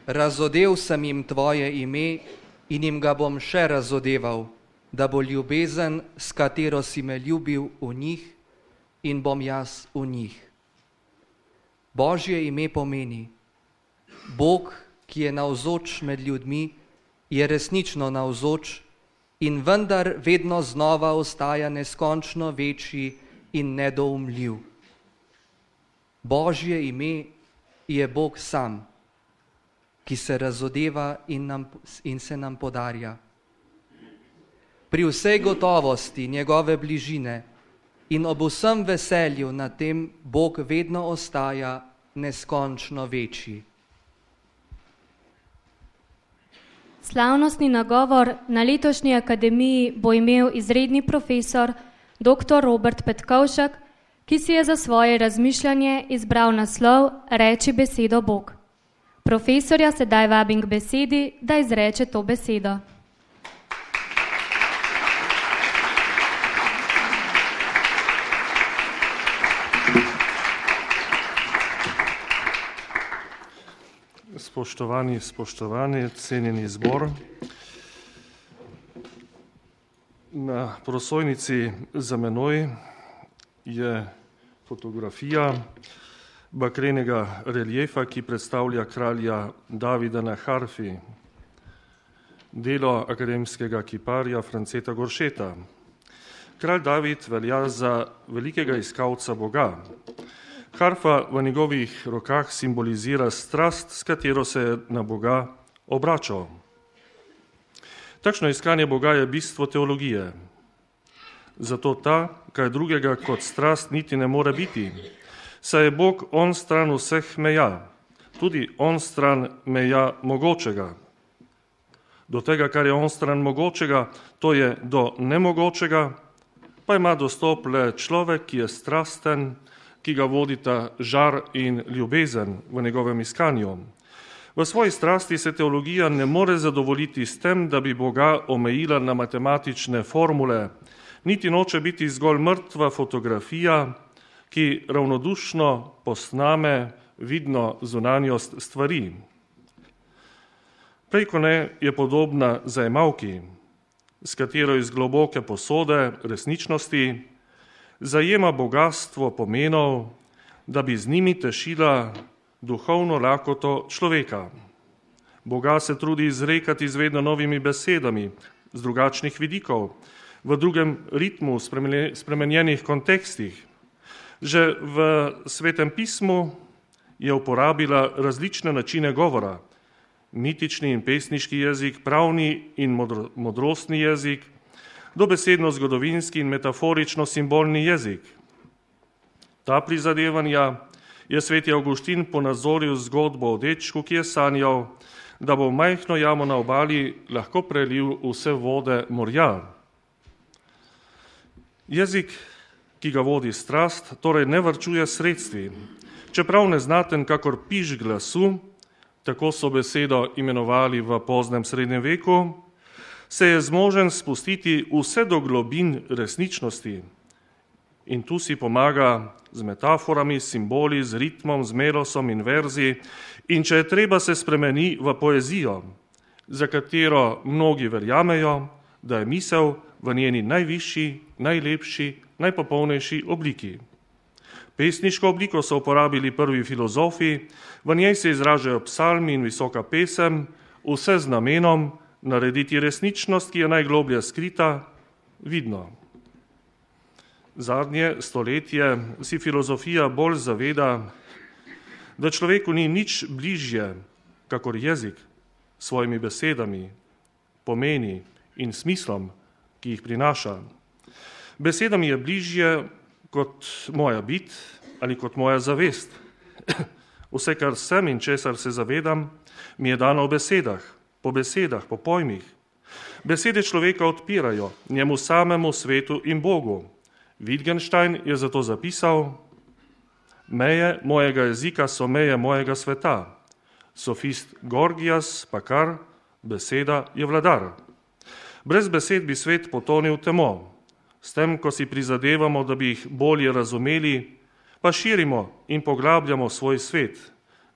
Razodev sem jim tvoje ime in jim ga bom še razodeval, da bo ljubezen, s katero si me ljubil, v njih in bom jaz v njih. Božje ime pomeni: Bog, ki je navzoč med ljudmi, je resnično navzoč in vendar vedno znova ostaja neskončno večji in nedoumljiv. Božje ime je Bog sam, ki se razodeva in se nam podarja. Pri vsej gotovosti njegove bližine in ob vsem veselju na tem Bog vedno ostaja neskončno večji. Slavnostni nagovor na letošnji akademiji bo imel izredni profesor dr. Robert Petkovšek, ki si je za svoje razmišljanje izbral naslov Reči besedo Bog. Profesorja sedaj vabim k besedi, da izreče to besedo. Spoštovani, cenjeni zbor. Na prosojnici za menoj je fotografija bakrenega reliefa, ki predstavlja kralja Davida na harfi, delo akademskega kiparja Franceta Goršeta. Kralj David velja za velikega iskalca Boga. Harfa v njegovih rokah simbolizira strast, s katero se je na Boga obračal. Takšno iskanje Boga je bistvo teologije. Zato ta, kaj drugega kot strast, niti ne more biti, saj je Bog on stran vseh meja, tudi on stran meja mogočega. Do tega, kar je on stran mogočega, to je do nemogočega, pa ima dostop le človek, ki je strasten, ki ga vodita žar in ljubezen v njegovem iskanju. V svoji strasti se teologija ne more zadovoljiti s tem, da bi Boga omejila na matematične formule, niti noče biti zgolj mrtva fotografija, ki ravnodušno posname vidno zunanjost stvari. Prej ko ne je podobna zajemalki, s katero iz globoke posode resničnosti zajema bogastvo pomenov, da bi z njimi tešila duhovno lakoto človeka. Boga se trudi izrekati z vedno novimi besedami, z drugačnih vidikov, v drugem ritmu, spremenjenih kontekstih. Že v Svetem pismu je uporabila različne načine govora, mitični in pesniški jezik, pravni in modrostni jezik, dobesedno-zgodovinski in metaforično-simbolni jezik. Ta prizadevanja je sveti Avguštin ponazoril zgodbo o dečku, ki je sanjal, da bo v majhno jamo na obali lahko prelil vse vode morja. Jezik, ki ga vodi strast, torej ne varčuje sredstvi. Čeprav neznaten kakor piš glasu, tako so besedo imenovali v poznem srednjem veku, se je zmožen spustiti vse do globin resničnosti. In tu si pomaga z metaforami, simboli, z ritmom, z melosom in verzi. In če je treba, se spremeni v poezijo, za katero mnogi verjamejo, da je misel v njeni najvišji, najlepši, najpopolnejši obliki. Pesniško obliko so uporabili prvi filozofi, v njej se izražajo psalmi in visoka pesem, vse z namenom narediti resničnost, ki je najgloblje skrita, vidno. Zadnje stoletje si filozofija bolj zaveda, da človeku ni nič bližje, kakor jezik, s svojimi besedami, pomeni in smislom, ki jih prinaša. Besedami je bližje kot moja bit ali kot moja zavest. Vse, kar sem in česar se zavedam, mi je dano v besedah, po pojmih. Besede človeka odpirajo njemu samemu, svetu in Bogu. Wittgenstein je zato zapisal: meje mojega jezika so meje mojega sveta. Sofist Gorgias pa kar: beseda je vladar. Brez besed bi svet potonil v temo. S tem, ko si prizadevamo, da bi jih bolje razumeli, pa širimo in poglabljamo svoj svet.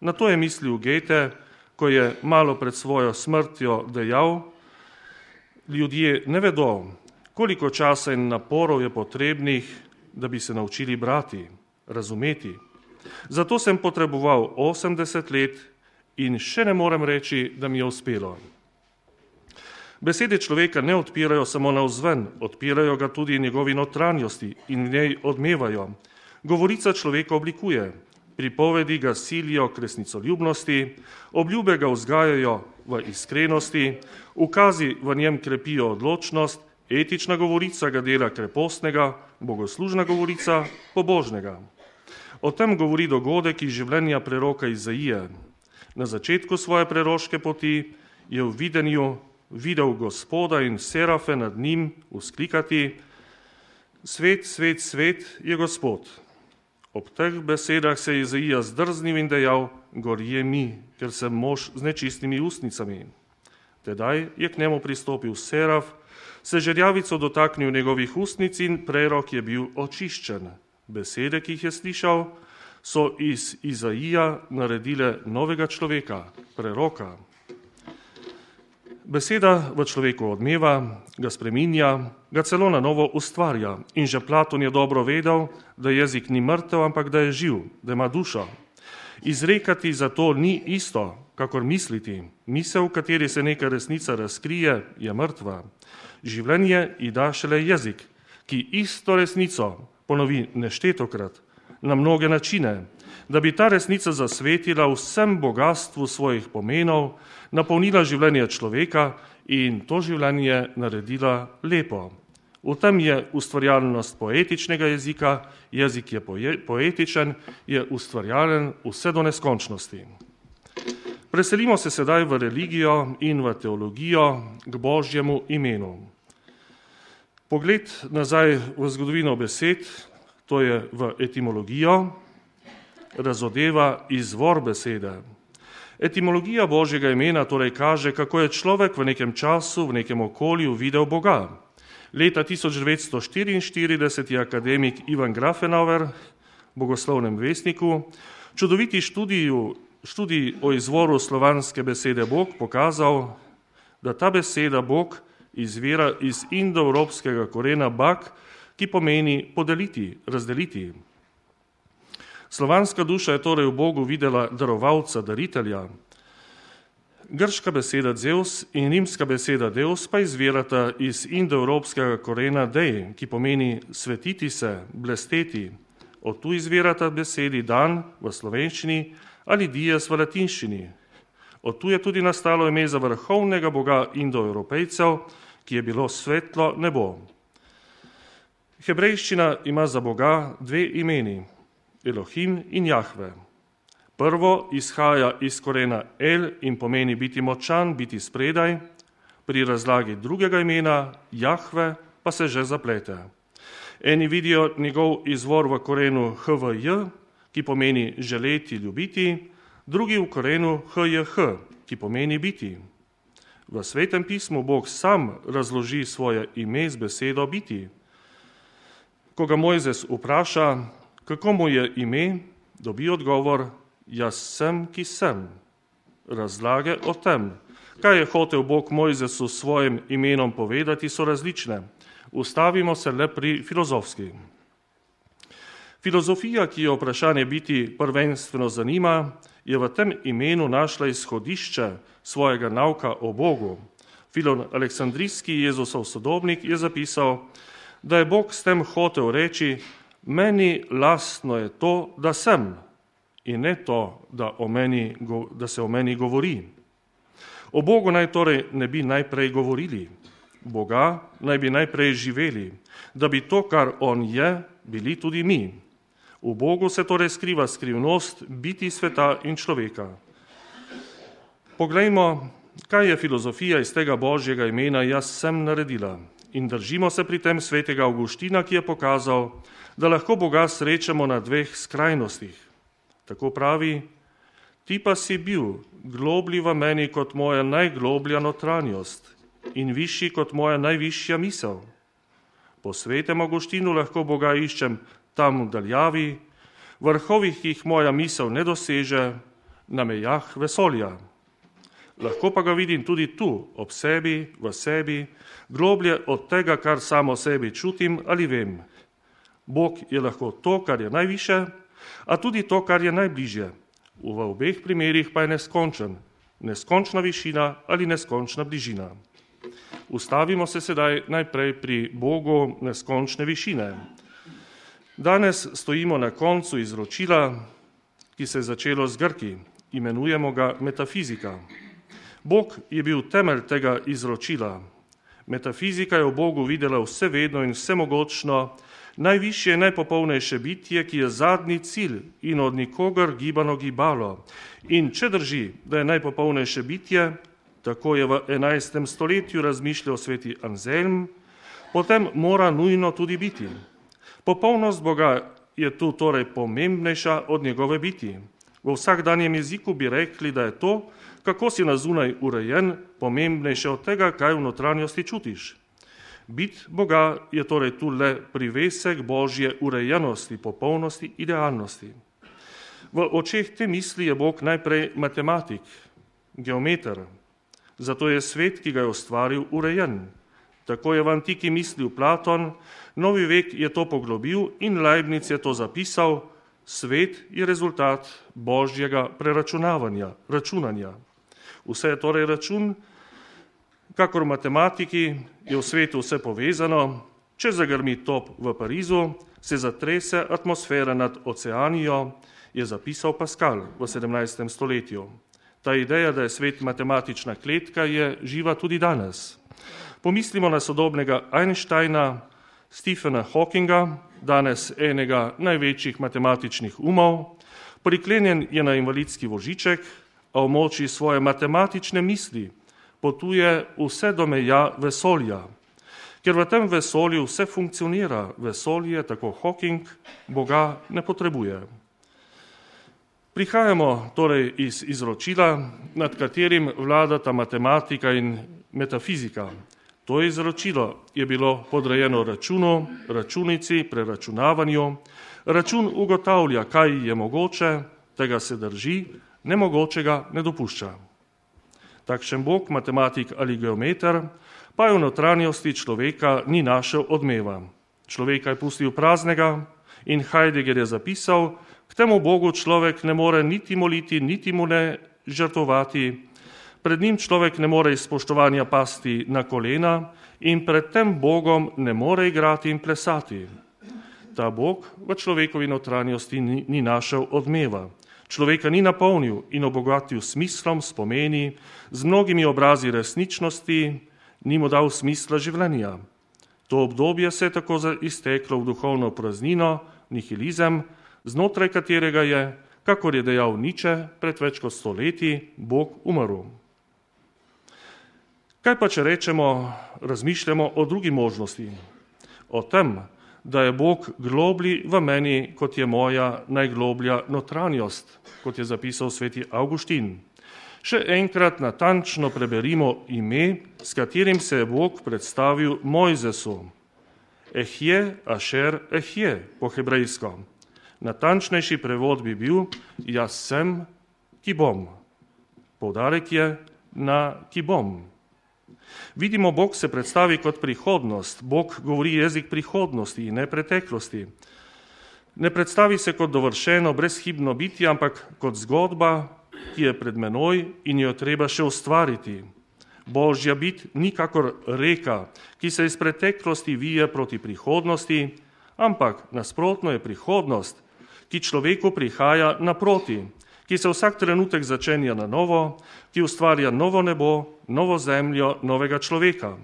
Na to je mislil Goethe, ko je malo pred svojo smrtjo dejal: ljudje ne vedo, koliko časa in naporov je potrebnih, da bi se naučili brati, razumeti. Zato sem potreboval 80 let in še ne morem reči, da mi je uspelo. Besede človeka ne odpirajo samo navzven, odpirajo ga tudi njegovi notranjosti in v njej odmevajo. Govorica človeka oblikuje, pripovedi ga silijo k resnicoljubnosti, obljube ga vzgajajo v iskrenosti, ukazi v njem krepijo odločnost, etična govorica ga dela krepostnega, bogoslužna govorica pobožnega. O tem govori dogodek iz življenja preroka Izaije. Na začetku svoje preroške poti je v videnju videl Gospoda in serafe nad njim vzklikati: svet, svet, svet je Gospod. Ob teh besedah se je Izaija zdrznil in dejal: gorje mi, ker sem mož z nečistimi ustnicami. Tedaj je k njemu pristopil seraf, se žerjavico dotaknil njegovih ustnic in prerok je bil očiščen. Besede, ki jih je slišal, so iz Izaija naredile novega človeka, preroka. Beseda v človeku odmeva, ga spreminja, ga celo na novo ustvarja. In že Platon je dobro vedel, da jezik ni mrtev, ampak da je živ, da ima dušo. Izrekati zato ni isto, kakor misliti. Misel, v kateri se neka resnica razkrije, je mrtva. Življenje ji da šele jezik, ki isto resnico ponovi neštetokrat, na mnoge načine, da bi ta resnica zasvetila vsem bogatstvu svojih pomenov, napolnila življenje človeka in to življenje naredila lepo. V tem je ustvarjalnost poetičnega jezika, jezik je poetičen, je ustvarjalen vse do neskončnosti. Preselimo se sedaj v religijo in v teologijo k Božjemu imenu. Pogled nazaj v zgodovino besed, to je v etimologijo, razodeva izvor besede. Etimologija Božjega imena torej kaže, kako je človek v nekem času, v nekem okolju videl Boga. Leta 1944 je akademik Ivan Grafenauer v Bogoslovnem vestniku čudoviti študij o izvoru slovanske besede Bog pokazal, da ta beseda Bog izvira iz indoevropskega korena bak, ki pomeni podeliti, razdeliti. Slovanska duša je torej v Bogu videla darovalca, daritelja. Grška beseda Zeus in rimska beseda Deus pa izvirata iz indoevropskega korena dej, ki pomeni svetiti se, blesteti. Od tu izvirata besedi dan v slovenščini ali dies v latinščini. Od tu je tudi nastalo ime za vrhovnega boga indoevropejcev, ki je bilo svetlo nebo. Hebrejščina ima za Boga dve imeni, Elohim in Jahve. Prvo izhaja iz korena El in pomeni biti močan, biti spredaj, pri razlagi drugega imena Jahve pa se že zaplete. Eni vidijo njegov izvor v korenu HVJ, ki pomeni želeti, ljubiti, drugi v korenu HJH, ki pomeni biti. V Svetem pismu Bog sam razloži svoje ime z besedo biti. Ko ga Mojzes vpraša, kako mu je ime, dobi odgovor: jaz sem, ki sem. Razlage o tem, kaj je hotel Bog Mojzesu s svojim imenom povedati, so različne. Ustavimo se le pri filozofski. Filozofija, ki jo vprašanje biti prvenstveno zanima, je v tem imenu našla izhodišče svojega nauka o Bogu. Filon Aleksandrijski, Jezusov sodobnik, je zapisal, da je Bog s tem hotel reči: meni lastno je to, da sem, in ne to, da se o meni govori. O Bogu naj torej ne bi najprej govorili, Boga naj bi najprej živeli, da bi to, kar on je, bili tudi mi. V Bogu se torej skriva skrivnost biti sveta in človeka. Poglejmo, kaj je filozofija iz tega Božjega imena jaz sem naredila. In držimo se pri tem svetega Avguština, ki je pokazal, da lahko Boga srečamo na dveh skrajnostih. Tako pravi: ti pa si bil globlji v meni kot moja najgloblja notranjost in višji kot moja najvišja misel. Po svetem Avguštinu lahko Boga iščem tam v daljavi, vrhovih, ki jih moja misel ne doseže, na mejah vesolja. lahko pa ga vidim tudi tu, ob sebi, v sebi, globlje od tega, kar samo sebi čutim ali vem. Bog je lahko to, kar je najviše, a tudi to, kar je najbližje. V obeh primerih pa je neskončen, neskončna višina ali neskončna bližina. Ustavimo se sedaj najprej pri Bogu neskončne višine. Danes stojimo na koncu izročila, ki se je začelo z Grki. Imenujemo ga metafizika. Bog je bil temelj tega izročila. Metafizika je v Bogu videla vsevedno in vsemogočno, najvišje in najpopolnejše bitje, ki je zadnji cilj in od nikogar gibano gibalo. In če drži, da je najpopolnejše bitje, tako je v 11. stoletju razmišljal sveti Anselm, potem mora nujno tudi biti. Popolnost Boga je tu torej pomembnejša od njegove biti. V vsakdanjem jeziku bi rekli, da je to, kako si na zunaj urejen, pomembnejše od tega, kaj v notranjosti čutiš. Bit Boga je torej tu le privesek Božje urejenosti, popolnosti, idealnosti. V očeh te misli je Bog najprej matematik, geometer. Zato je svet, ki ga je ustvaril, urejen. Tako je v antiki mislil Platon, novi vek je to poglobil in Leibniz je to zapisal, svet je rezultat Božjega preračunavanja, računanja. Vse je torej račun, kakor v matematiki je v svetu vse povezano, če zagrmi top v Parizu, se zatrese atmosfera nad oceanijo, je zapisal Pascal v 17. stoletju. Ta ideja, da je svet matematična kletka, je živa tudi danes. Pomislimo na sodobnega Einsteina, Stephena Hawkinga, danes enega največjih matematičnih umov, priklenjen je na invalidski voziček, a v moči svoje matematične misli potuje vse do meja vesolja. Ker v tem vesolju vse funkcionira, vesolje, tako Hawking, Boga ne potrebuje. Prihajamo torej iz izročila, nad katerim vladata matematika in metafizika. To izročilo je bilo podrejeno računu, računici, preračunavanju. Račun ugotavlja, kaj je mogoče, tega se drži, nemogočega ne dopušča. Takšen Bog, matematik ali geometer, pa je v notranjosti človeka ni našel odmeva. Človeka je pustil praznega in Heidegger je zapisal, k temu Bogu človek ne more niti moliti, niti mu ne žrtvovati, pred njim človek ne more iz spoštovanja pasti na kolena in pred tem Bogom ne more igrati in plesati. Ta Bog v človekovi notranjosti ni našel odmeva. Človeka ni napolnil in obogatil smislom, spomeni, z mnogimi obrazi resničnosti, ni mu dal smisla življenja. To obdobje se je tako izteklo v duhovno praznino, nihilizem, znotraj katerega je, kakor je dejal Nietzsche pred več kot 100 leti, Bog umrl. Kaj pa, če razmišljamo o drugi možnosti? O tem, da je Bog globlji v meni, kot je moja najgloblja notranjost, kot je zapisal sveti Avguštin. Še enkrat natančno preberimo ime, s katerim se je Bog predstavil Mojzesu. Ehje, Ašer, Ehje, po hebrejsko. Natančnejši prevod bi bil, jaz sem, ki bom. Poudarek je na ki bom. Vidimo, Bog se predstavi kot prihodnost. Bog govori jezik prihodnosti in ne preteklosti. Ne predstavi se kot dovršeno, brezhibno bitje, ampak kot zgodba, ki je pred menoj in jo treba še ustvariti. Božja bit ni kakor reka, ki se iz preteklosti vije proti prihodnosti, ampak nasprotno je prihodnost, ki človeku prihaja naproti, ki se vsak trenutek začenja na novo, ki ustvarja novo nebo, novo zemljo, novega človeka.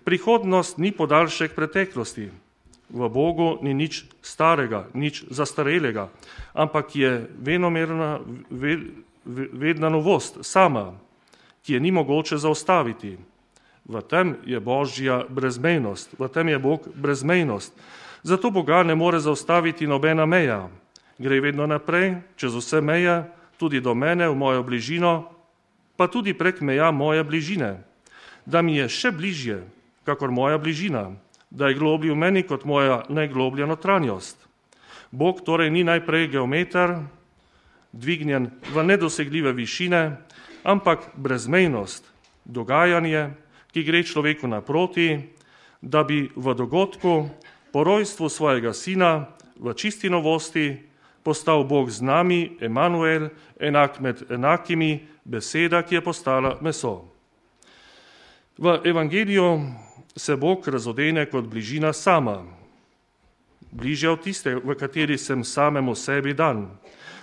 Prihodnost ni podaljšek preteklosti. V Bogu ni nič starega, nič zastarelega, ampak je venomerna, vedna novost sama, ki je ni mogoče zaustaviti. V tem je Božja brezmejnost, v tem je Bog brezmejnost. Zato Boga ne more zaustaviti nobena meja. Gre vedno naprej, čez vse meje, tudi do mene, v mojo bližino, pa tudi prek meja moje bližine. Da mi je še bližje, kakor moja bližina, da je globlji v meni kot moja najgloblja notranjost. Bog torej ni najprej geometer, dvignjen v nedosegljive višine, ampak brezmejnost, dogajanje, ki gre človeku naproti, da bi v dogodku po rojstvu svojega sina v čisti novosti postal Bog z nami, Emanuel, enak med enakimi, beseda, ki je postala meso. V evangeliju se Bog razodene kot bližina sama, bližje od tiste, v kateri sem samemu sebi dan.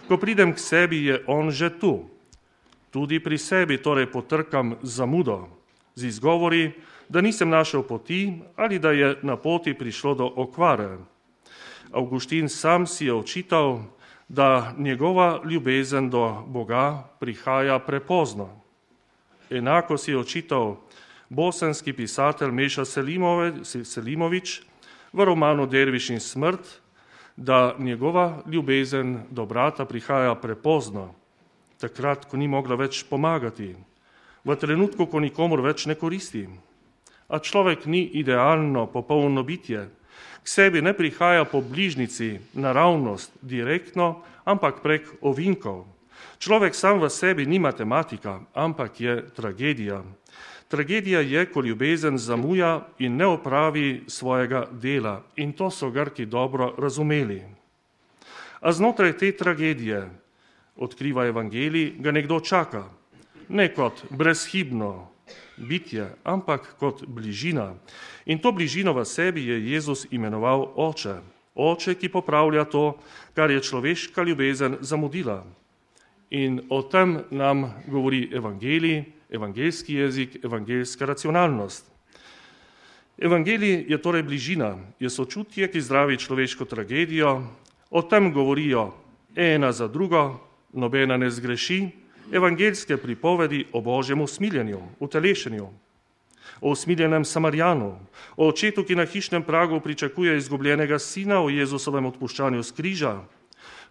Ko pridem k sebi, je on že tu. Tudi pri sebi torej potrkam zamudo, z izgovori, da nisem našel poti ali da je na poti prišlo do okvare. Avguštin sam si je očital, da njegova ljubezen do Boga prihaja prepozno. Enako si je očital bosanski pisatelj Meša Selimović v romanu Derviš in smrt, da njegova ljubezen do brata prihaja prepozno, takrat, ko ni mogla več pomagati, v trenutku, ko nikomur več ne koristi. A človek ni idealno, popolno bitje. K sebi ne prihaja po bližnici, naravnost, direktno, ampak prek ovinkov. Človek sam v sebi ni matematika, ampak je tragedija. Tragedija je, ko ljubezen zamuja in ne opravi svojega dela. In to so Grki dobro razumeli. A znotraj te tragedije, odkriva evangelij, ga nekdo čaka. Ne kot brezhibno bitje, ampak kot bližina. In to bližino v sebi je Jezus imenoval Oče. Oče, ki popravlja to, kar je človeška ljubezen zamudila. In o tem nam govori evangelij, evangeljski jezik, evangeljska racionalnost. Evangelij je torej bližina, je sočutje, ki zdravi človeško tragedijo. O tem govorijo ena za drugo, nobena ne zgreši, evangeljske pripovedi o Božjem usmiljenju, utelešenju, o usmiljenem Samarjanu, o očetu, ki na hišnem pragu pričakuje izgubljenega sina, o Jezusovem odpuščanju s križa.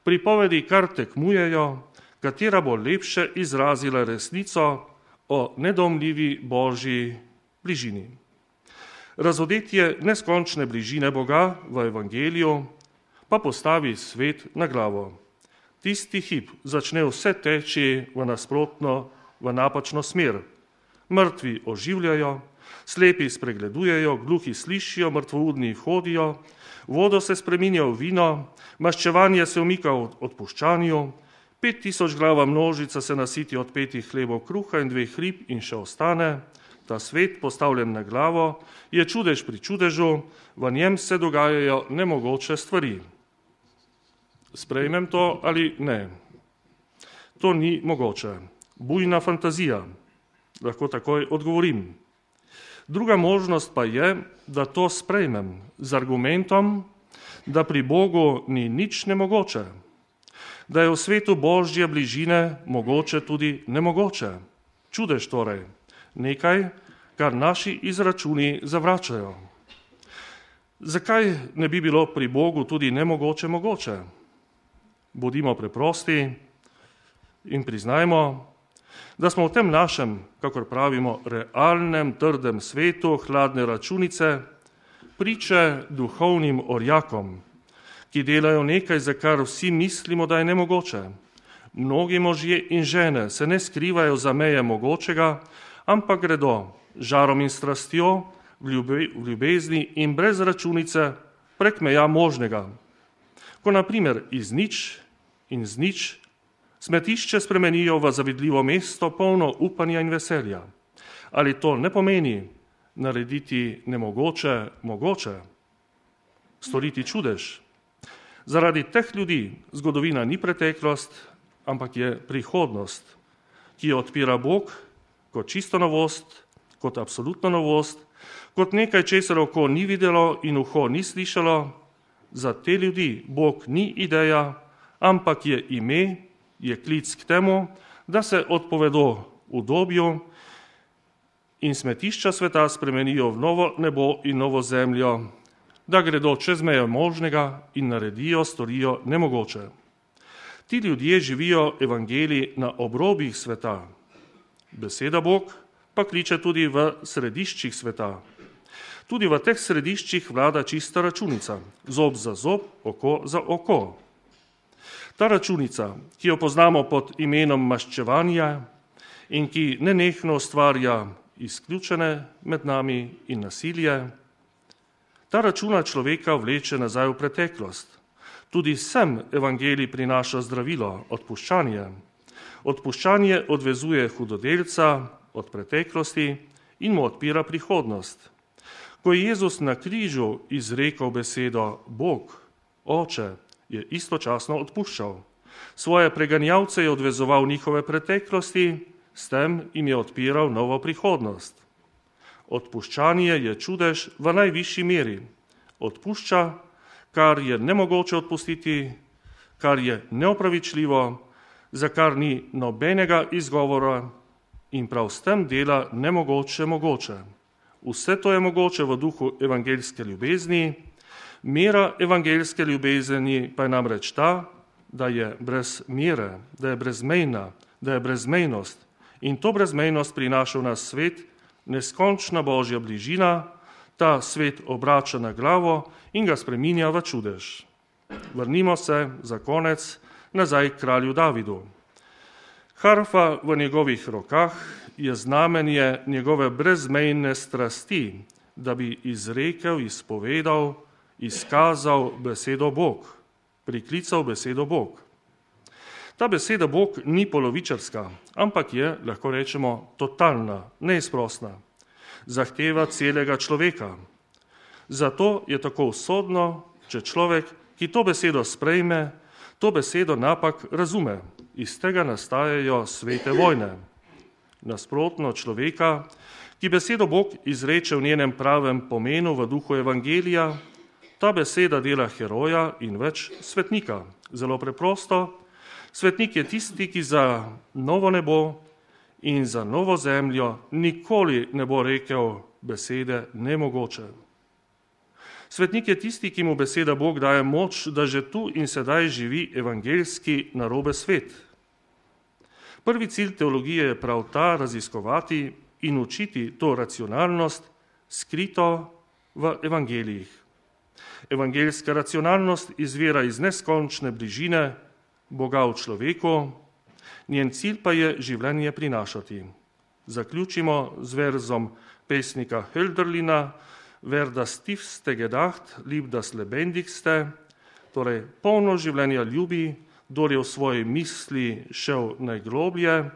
Pripovedi kar tekmujejo, katera bo lepše izrazila resnico o nedomljivi Božji bližini. Razodetje neskončne bližine Boga v evangeliju pa postavi svet na glavo. Tisti hip začne vse teči v nasprotno, v napačno smer. Mrtvi oživljajo, slepi spregledujejo, gluhi slišijo, mrtvoudni hodijo, vodo se spreminja v vino, maščevanje se umika v odpuščanju, 5000 glava množica se nasiti od 5 hlebov kruha in 2 rib in še ostane. Ta svet, postavljen na glavo, je čudež pri čudežu, v njem se dogajajo nemogoče stvari. Sprejmem to ali ne? To ni mogoče. Bujna fantazija. Lahko takoj odgovorim. Druga možnost pa je, da to sprejmem z argumentom, da pri Bogu ni nič nemogoče. Da je v svetu Božje bližine mogoče tudi nemogoče. Čudež torej. Nekaj, kar naši izračuni zavračajo. Zakaj ne bi bilo pri Bogu tudi nemogoče mogoče? Bodimo preprosti in priznajmo, da smo v tem našem, kakor pravimo, realnem, trdem svetu hladne računice priče duhovnim orjakom, ki delajo nekaj, za kar vsi mislimo, da je nemogoče. Mnogi možje in žene se ne skrivajo za meje mogočega, ampak gredo žarom in strastjo v ljubezni in brez računice prek meja možnega. Ko na primer iz nič in z nič smetišče spremenijo v zavidljivo mesto, polno upanja in veselja. Ali to ne pomeni narediti nemogoče mogoče? Storiti čudež? Zaradi teh ljudi zgodovina ni preteklost, ampak je prihodnost, ki jo odpira Bog kot čisto novost, kot absolutno novost, kot nekaj, česar oko ni videlo in uho ni slišalo. Za te ljudi Bog ni ideja, ampak je ime, je klic k temu, da se odpovedo udobju in smetišča sveta spremenijo v novo nebo in novo zemljo, da gredo čez meje možnega in naredijo, storijo nemogoče. Ti ljudje živijo evangelij na obrobjih sveta. Beseda Bog pa kliče tudi v središčih sveta. Tudi v teh središčih vlada čista računica, zob za zob, oko za oko. Ta računica, ki jo poznamo pod imenom maščevanja in ki nenehno ustvarja izključene med nami in nasilje, ta računa človeka vleče nazaj v preteklost. Tudi sem evangelij prinaša zdravilo, odpuščanje. Odpuščanje odvezuje hudodelca od preteklosti in mu odpira prihodnost. Ko je Jezus na križu izrekel besedo Bog, Oče, je istočasno odpuščal. Svoje preganjavce je odvezoval njihove preteklosti, s tem jim je odpiral novo prihodnost. Odpuščanje je čudež v najvišji meri. Odpušča, kar je nemogoče odpustiti, kar je neopravičljivo, za kar ni nobenega izgovora in prav s tem dela nemogoče mogoče. Vse to je mogoče v duhu evangeljske ljubezni. Mera evangeljske ljubezni pa je namreč ta, da je brez mere, da je brezmejna, da je brezmejnost. In to brezmejnost prinaša v nas svet, neskončna Božja bližina, ta svet obrača na glavo in ga spreminja v čudež. Vrnimo se za konec nazaj k kralju Davidu. Harfa v njegovih rokah je znamenje njegove brezmejne strasti, da bi izrekel, izpovedal, izkazal besedo Bog, priklical besedo Bog. Ta beseda Bog ni polovičarska, ampak je, lahko rečemo, totalna, neizprosna. Zahteva celega človeka. Zato je tako usodno, če človek, ki to besedo sprejme, to besedo napak razume. Iz tega nastajajo svete vojne. Nasprotno človeka, ki besedo Bog izreče v njenem pravem pomenu v duhu evangelija, ta beseda dela heroja in več svetnika. Zelo preprosto, svetnik je tisti, ki za novo nebo in za novo zemljo nikoli ne bo rekel besede nemogoče. Svetnik je tisti, ki mu beseda Bog daje moč, da že tu in sedaj živi evangeljski narobe svet. Prvi cilj teologije je prav ta, raziskovati in učiti to racionalnost, skrito v evangelijih. Evangeljska racionalnost izvira iz neskončne bližine Boga v človeku, njen cilj pa je življenje prinašati. Zaključimo z verzom pesnika Hölderlina, Wer das tiefste gedacht, liebt das lebendigste, torej polno življenja ljubi, kdor je v svoji misli šel najgloblje.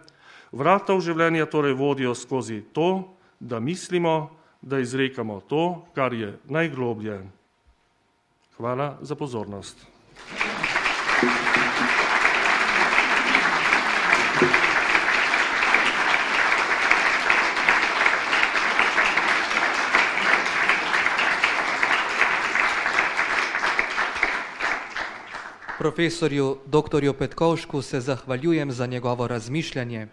Vrata v življenje torej vodijo skozi to, da mislimo, da izrekamo to, kar je najgloblje. Hvala za pozornost. Profesorju dr. Petkovšku se zahvaljujem za njegovo razmišljanje.